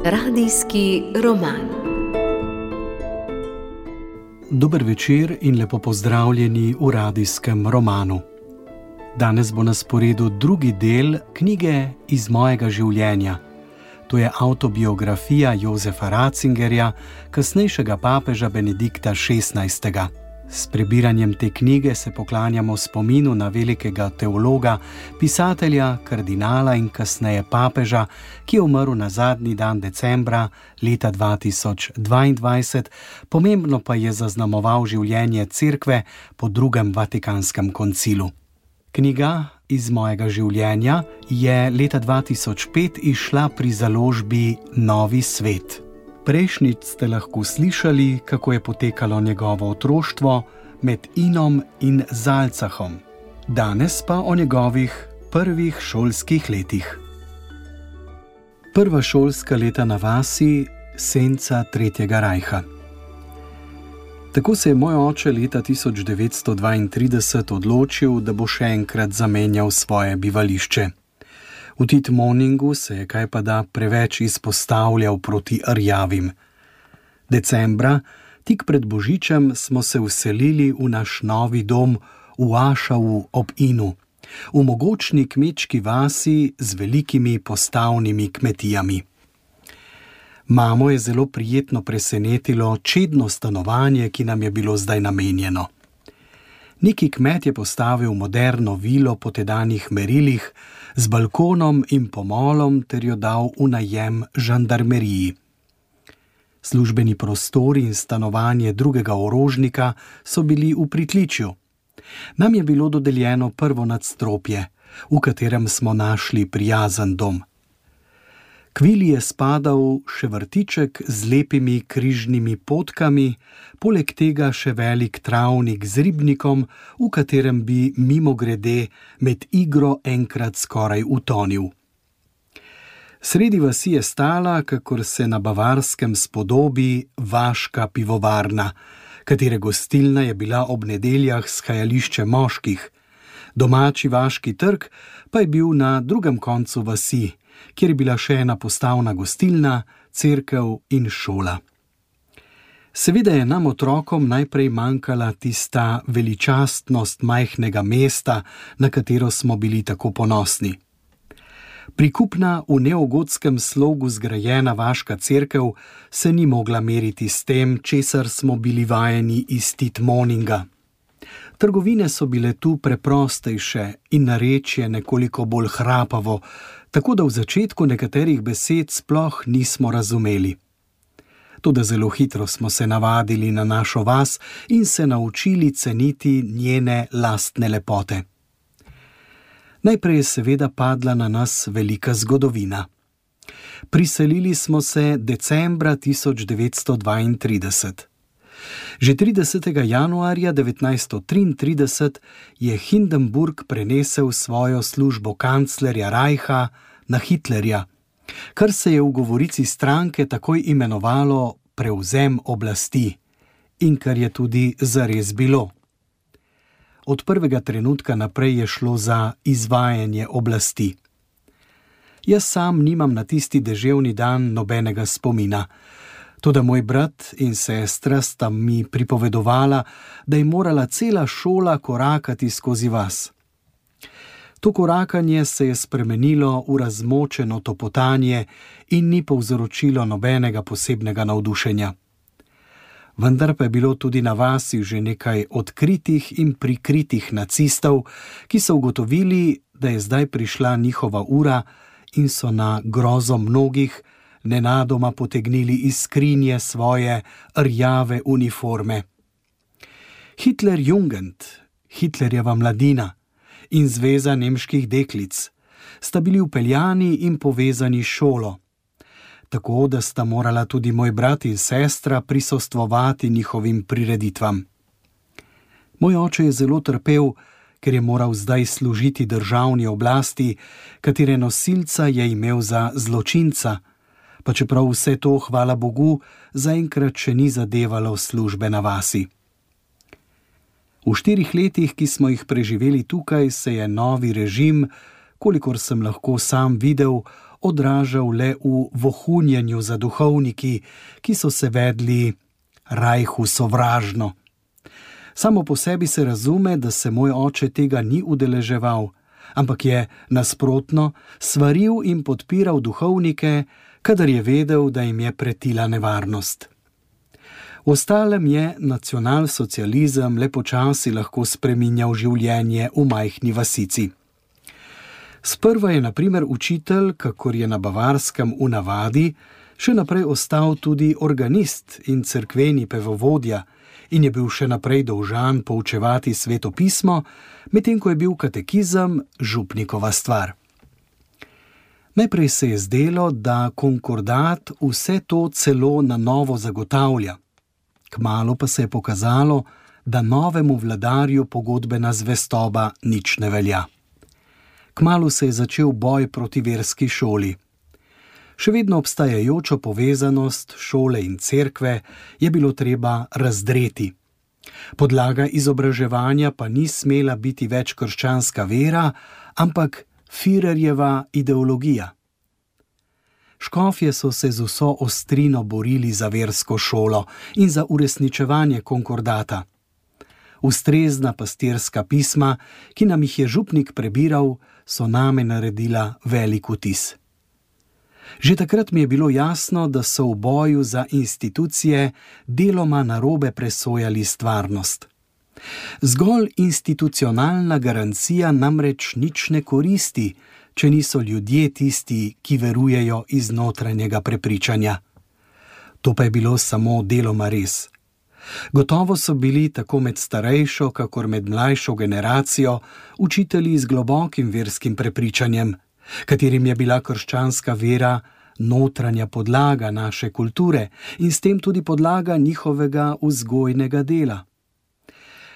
Radijski roman. Dober večer in lepo pozdravljeni v radijskem romanu. Danes bo na sporedu drugi del knjige Iz mojega življenja. To je avtobiografija Josefa Ratzingerja, kasnejšega papeža Benedikta XVI. S prebiranjem te knjige se poklanjamo spominu na velikega teologa, pisatelja, kardinala in kasneje papeža, ki je umrl na zadnji dan decembra leta 2022, pomembno pa je zaznamoval življenje Cerkve po drugem Vatikanskem koncilu. Knjiga Iz mojega življenja je leta 2005 izšla pri založbi Novi svet. Prejšnjič ste lahko slišali, kako je potekalo njegovo otroštvo med Inom in Zalcahom. Danes pa o njegovih prvih šolskih letih. Prva šolska leta na vasi, senca Tretjega rajha. Tako se je moj oče leta 1932 odločil, da bo še enkrat zamenjal svoje bivališče. V Titmoningu se je kajpada preveč izpostavljal proti rjavim. Decembra, tik pred Božičem, smo se vselili v naš novi dom v Ašavu ob Inu, v mogočni kmečki vasi z velikimi postavnimi kmetijami. Mamo je zelo prijetno presenetilo čedno stanovanje, ki nam je bilo zdaj namenjeno. Neki kmet je postavil moderno vilo po tedanjih merilih, z balkonom in pomolom ter jo dal v najem žandarmeriji. Službeni prostori in stanovanje drugega orožnika so bili v pritličju. Nam je bilo dodeljeno prvo nadstropje, v katerem smo našli prijazen dom. K vili je spadal še vrtiček z lepimi križnimi potkami, poleg tega še velik travnik z ribnikom, v katerem bi mimogrede med igro enkrat skoraj utonil. Sredi vasi je stala, kakor se na Bavarskem spodobi, vaška pivovarna, katere gostilna je bila ob nedeljah shajališče moških. Domači vaški trg pa je bil na drugem koncu vasi, kjer je bila še ena postavna gostilna, cerkev in šola. Seveda je nam otrokom najprej manjkala tista veličastnost majhnega mesta, na katero smo bili tako ponosni. Prikupna v neogotskem slogu zgrajena vaška cerkev se ni mogla meriti s tem, česar smo bili vajeni iz Titmoninga. Trgovine so bile tu preprostejše in narečje nekoliko bolj hrapavo, tako da v začetku nekaterih besed sploh nismo razumeli. Toda zelo hitro smo se navadili na našo vas in se naučili ceniti njene lastne lepote. Najprej je seveda padla na nas velika zgodovina. Priselili smo se decembra 1932. Že 30. januarja 1933 je Hindenburg prenesel svojo službo kanclerja Reicha na Hitlerja, kar se je v govorici stranke takoj imenovalo prevzem oblasti in kar je tudi zares bilo. Od prvega trenutka naprej je šlo za izvajanje oblasti. Jaz sam nimam na tisti deževni dan nobenega spomina, toda moj brat in sestra sta mi pripovedovala, da je morala cela šola korakati skozi vas. To korakanje se je spremenilo v razmočeno topotanje in ni povzročilo nobenega posebnega navdušenja. Vendar pa je bilo tudi na vasi že nekaj odkritih in prikritih nacistov, ki so ugotovili, da je zdaj prišla njihova ura in so na grozo mnogih nenadoma potegnili iz skrinje svoje rjave uniforme. Hitlerjugend, Hitlerjeva mladina in zveza nemških deklic sta bili vpeljani in povezani s šolo, tako da sta morala tudi moj brat in sestra prisostvovati njihovim prireditvam. Moj oče je zelo trpel, ker je moral zdaj služiti državni oblasti, katere nosilca je imel za zločinca, pa čeprav vse to, hvala Bogu, zaenkrat še ni zadevalo službe na vasi. V 4 letih, ki smo jih preživeli tukaj, se je novi režim, kolikor sem lahko sam videl, odražal le v vohunjenju za duhovniki, ki so se vedli Rajhu sovražno. Samo po sebi se razume, da se moj oče tega ni udeleževal, ampak je nasprotno svaril in podpiral duhovnike, kadar je vedel, da jim je pretila nevarnost. V ostalem je nacionalsocializem le počasi lahko spreminjal življenje v majhni vasici. Sprva je na primer učitelj, kakor je na Bavarskem v navadi, še naprej ostal tudi organist in cerkveni pevovodja in je bil še naprej dolžan poučevati Sveto pismo, medtem ko je bil katekizem župnikova stvar. Najprej se je zdelo, da konkordat vse to celo na novo zagotavlja. Kmalu pa se je pokazalo, da novemu vladarju pogodbena zvestoba nič ne velja. Kmalu se je začel boj proti verski šoli. Še vedno obstajajočo povezanost šole in cerkve je bilo treba razdreti. Podlaga izobraževanja pa ni smela biti več krščanska vera, ampak Führerjeva ideologija. Škofje so se z vso ostrino borili za versko šolo in za uresničevanje konkordata. Ustrezna pastirska pisma, ki nam jih je župnik prebiral, so name naredila velik vtis. Že takrat mi je bilo jasno, da so v boju za institucije deloma narobe presojali stvarnost. Zgolj institucionalna garancija namreč nič ne koristi, če niso ljudje tisti, ki verujejo iz notranjega prepričanja. To pa je bilo samo deloma res. Gotovo so bili tako med starejšo, kakor med mlajšo generacijo učitelji z globokim verskim prepričanjem, katerim je bila krščanska vera notranja podlaga naše kulture in s tem tudi podlaga njihovega vzgojnega dela.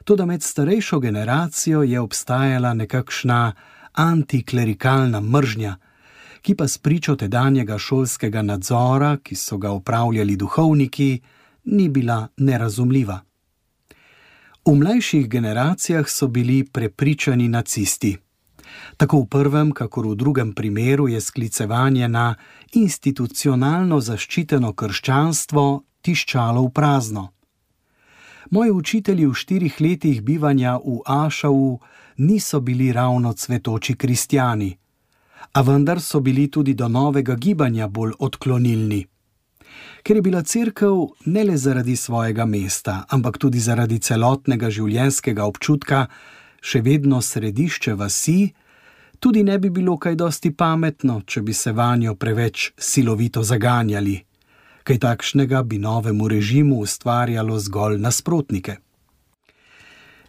Toda med starejšo generacijo je obstajala nekakšna antiklerikalna mržnja, ki pa spričo tedanjega šolskega nadzora, ki so ga opravljali duhovniki, ni bila nerazumljiva. V mlajših generacijah so bili prepričani nacisti. Tako v prvem, kakor v drugem primeru je sklicevanje na institucionalno zaščiteno krščanstvo tiščalo v prazno. Moji učitelji v 4 letih bivanja v Ašau niso bili ravno cvetoči kristjani, a vendar so bili tudi do novega gibanja bolj odklonilni. Ker je bila cerkev ne le zaradi svojega mesta, ampak tudi zaradi celotnega življenjskega občutka še vedno središče vasi, tudi ne bi bilo kaj dosti pametno, če bi se vanjo preveč silovito zaganjali. Kaj takšnega bi novemu režimu ustvarjalo zgolj nasprotnike.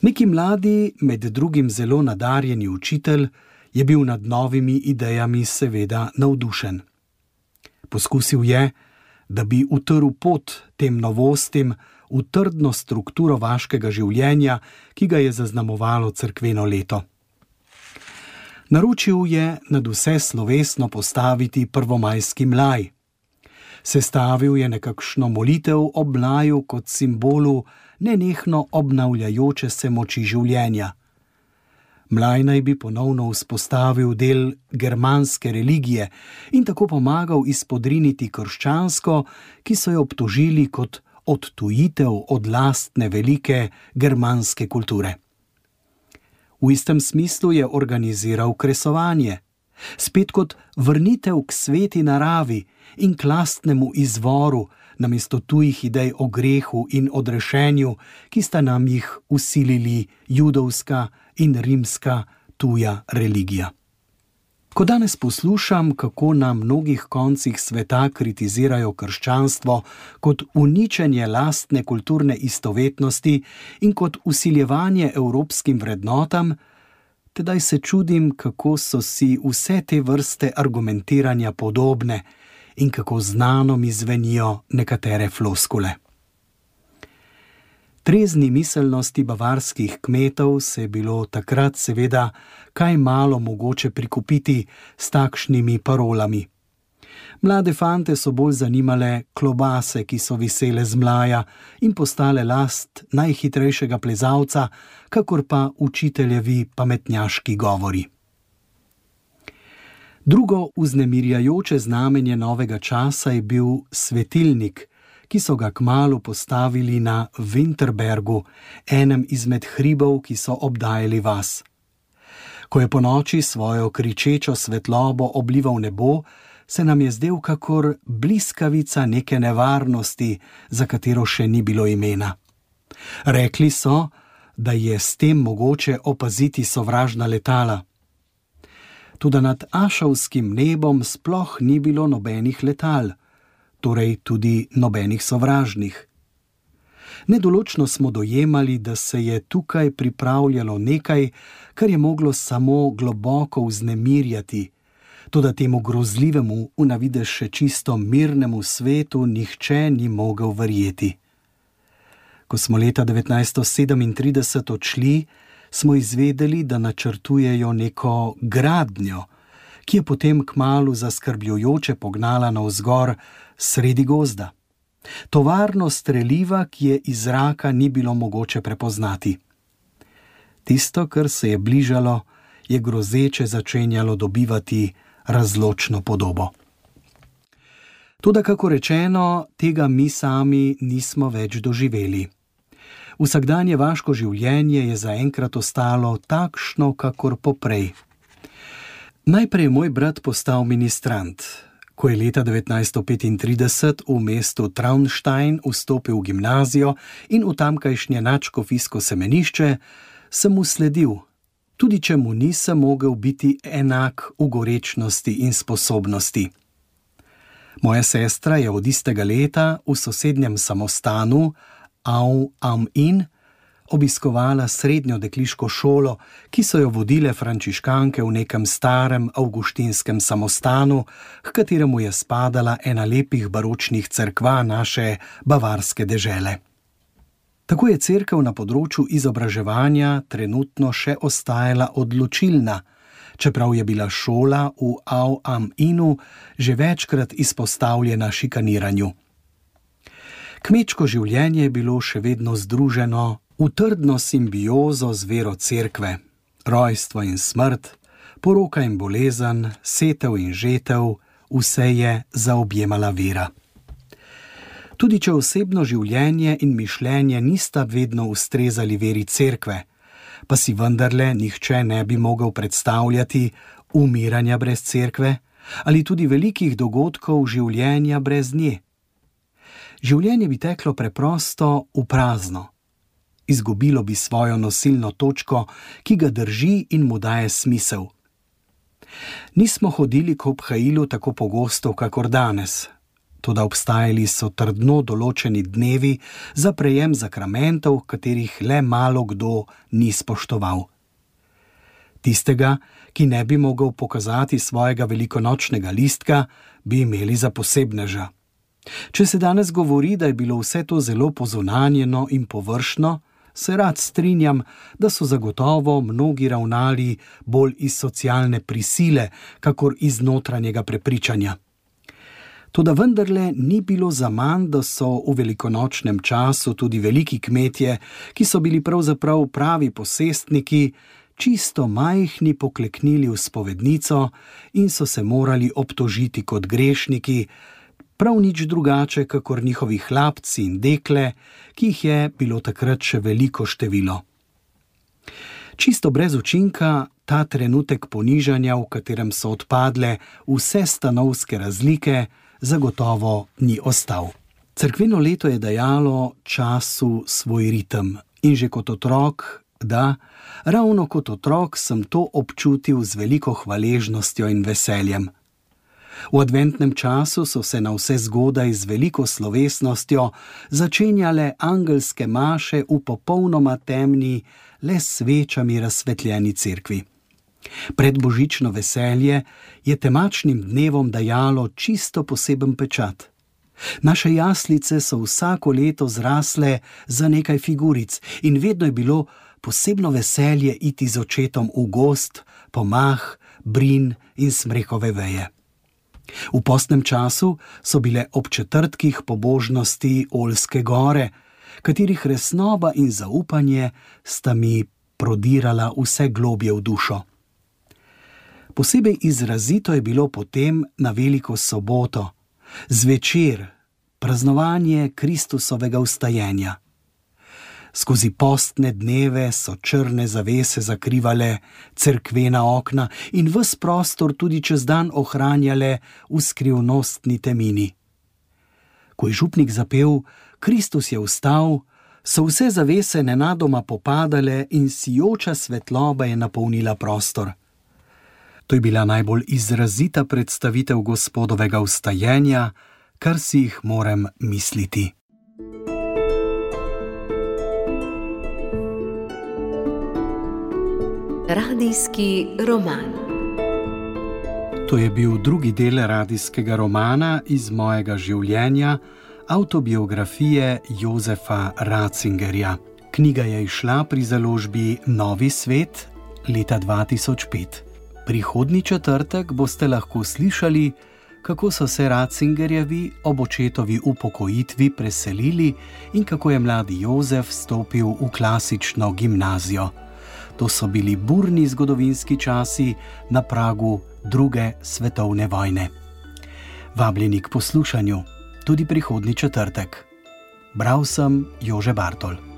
Neki mladi, med drugim zelo nadarjeni učitelj, je bil nad novimi idejami seveda navdušen. Poskusil je, da bi utrl pot tem novostim v trdno strukturo vaškega življenja, ki ga je zaznamovalo cerkveno leto. Naročil je nadvse slovesno postaviti prvomajski mlaj. Sestavil je nekakšno molitev ob mlaju kot simbolu nenehno obnavljajoče se moči življenja. Mlaj naj bi ponovno vzpostavil del germanske religije in tako pomagal izpodriniti krščansko, ki so jo obtožili kot odtujitev od lastne velike germanske kulture. V istem smislu je organiziral kresovanje, spet kot vrnitev k sveti naravi in k lastnemu izvoru, namesto tujih idej o grehu in odrešenju, ki sta nam jih vsilili judovska in rimska tuja religija. Ko danes poslušam, kako na mnogih koncih sveta kritizirajo krščanstvo kot uničenje lastne kulturne istovetnosti in kot vsiljevanje evropskim vrednotam, tedaj se čudim, kako so si vse te vrste argumentiranja podobne in kako znano mi zvenijo nekatere floskule. Trezni miselnosti bavarskih kmetov se je bilo takrat seveda kaj malo mogoče prikupiti s takšnimi parolami. Mlade fante so bolj zanimale klobase, ki so visele z mlaja in postale last najhitrejšega plezalca, kakor pa učiteljevi pametnjaški govori. Drugo vznemirjajoče znamenje novega časa je bil svetilnik, ki so ga kmalu postavili na Winterbergu, enem izmed hribov, ki so obdajali vas. Ko je ponoči svojo kričečo svetlobo oblival nebo, se nam je zdel kakor bliskavica neke nevarnosti, za katero še ni bilo imena. Rekli so, da je s tem mogoče opaziti sovražna letala. Toda nad ašovskim nebom sploh ni bilo nobenih letal, torej tudi nobenih sovražnih. Nedoločno smo dojemali, da se je tukaj pripravljalo nekaj, kar je moglo samo globoko vznemirjati, toda temu grozljivemu, v navidez še čisto mirnemu svetu nihče ni mogel verjeti. Ko smo leta 1937 odšli, smo izvedeli, da načrtujejo neko gradnjo, ki je potem kmalu zaskrbljujoče pognala navzgor sredi gozda. Tovarno streliva, ki je iz zraka ni bilo mogoče prepoznati. Tisto, kar se je bližalo, je grozeče začenjalo dobivati razločno podobo. Toda, kako rečeno, tega mi sami nismo več doživeli. Vsakdanje vaško življenje je zaenkrat ostalo takšno, kakor poprej. Najprej je moj brat postal ministrant. Ko je leta 1935 v mestu Traunstein vstopil v gimnazijo in v tamkajšnje nadškofijsko semenišče, sem mu sledil, tudi če mu nisem mogel biti enak v gorečnosti in sposobnosti. Moja sestra je od istega leta v sosednjem samostanu Au am Inn obiskovala srednjo dekliško šolo, ki so jo vodile frančiškanke v nekem starem avguštinskem samostanu, h kateremu je spadala ena lepih baročnih cerkva naše bavarske dežele. Tako je cerkev na področju izobraževanja trenutno še ostajala odločilna, čeprav je bila šola v Au am Innu že večkrat izpostavljena šikaniranju. Kmečko življenje je bilo še vedno združeno v trdno simbiozo z vero cerkve, rojstvo in smrt, poroka in bolezen, setev in žetev, vse je zaobjemala vera. Tudi če osebno življenje in mišljenje nista vedno ustrezali veri cerkve, pa si vendarle nihče ne bi mogel predstavljati umiranja brez cerkve ali tudi velikih dogodkov življenja brez nje. Življenje bi teklo preprosto v prazno. Izgubilo bi svojo nosilno točko, ki ga drži in mu daje smisel. Nismo hodili k obhajilu tako pogosto, kakor danes, toda obstajali so trdno določeni dnevi za prejem zakramentov, katerih le malo kdo ni spoštoval. Tistega, ki ne bi mogel pokazati svojega velikonočnega listka, bi imeli za posebneža. Če se danes govori, da je bilo vse to zelo pozunanjeno in površno, se rad strinjam, da so zagotovo mnogi ravnali bolj iz socialne prisile, kakor iz notranjega prepričanja. Toda vendarle ni bilo zaman, da so v velikonočnem času tudi veliki kmetje, ki so bili pravzaprav pravi posestniki, čisto majhni pokleknili v spovednico in so se morali obtožiti kot grešniki, prav nič drugače, kakor njihovi hlapci in dekle, ki jih je bilo takrat še veliko število. Čisto brez učinka ta trenutek ponižanja, v katerem so odpadle vse stanovske razlike, zagotovo ni ostal. Cerkveno leto je dajalo času svoj ritem in že kot otrok, ravno kot otrok sem to občutil z veliko hvaležnostjo in veseljem. V adventnem času so se na vse zgodaj z veliko slovesnostjo začenjale angelske maše v popolnoma temni, le s svečami razsvetljeni cerkvi. Predbožično veselje je temačnim dnevom dajalo čisto poseben pečat. Naše jaslice so vsako leto zrasle za nekaj figuric in vedno je bilo posebno veselje iti z očetom v gozd, po mah, brin in smrekove veje. V postnem času so bile ob četrtkih pobožnosti Oljske gore, katerih resnoba in zaupanje sta mi prodirala vse globje v dušo. Posebej izrazito je bilo potem na Veliko soboto, zvečer, praznovanje Kristusovega vstajenja. Skozi postne dneve so črne zavese zakrivale cerkvena okna in ves prostor tudi čez dan ohranjale v skrivnostni temini. Ko je župnik zapel Kristus je vstal, so vse zavese nenadoma popadale in sijoča svetloba je napolnila prostor. To je bila najbolj izrazita predstavitev Gospodovega vstajenja, kar si jih morem misliti. Radijski roman. To je bil drugi del radijskega romana iz mojega življenja, avtobiografije Jozefa Ratzingerja. Knjiga je izšla pri založbi Novi svet leta 2005. Prihodnji četrtek boste lahko slišali, kako so se Ratzingerjevi ob očetovi upokojitvi preselili in kako je mladi Jozef stopil v klasično gimnazijo. To so bili burni zgodovinski časi na pragu druge svetovne vojne. Vabljeni k poslušanju tudi prihodnji četrtek. Bral sem Jože Bartol.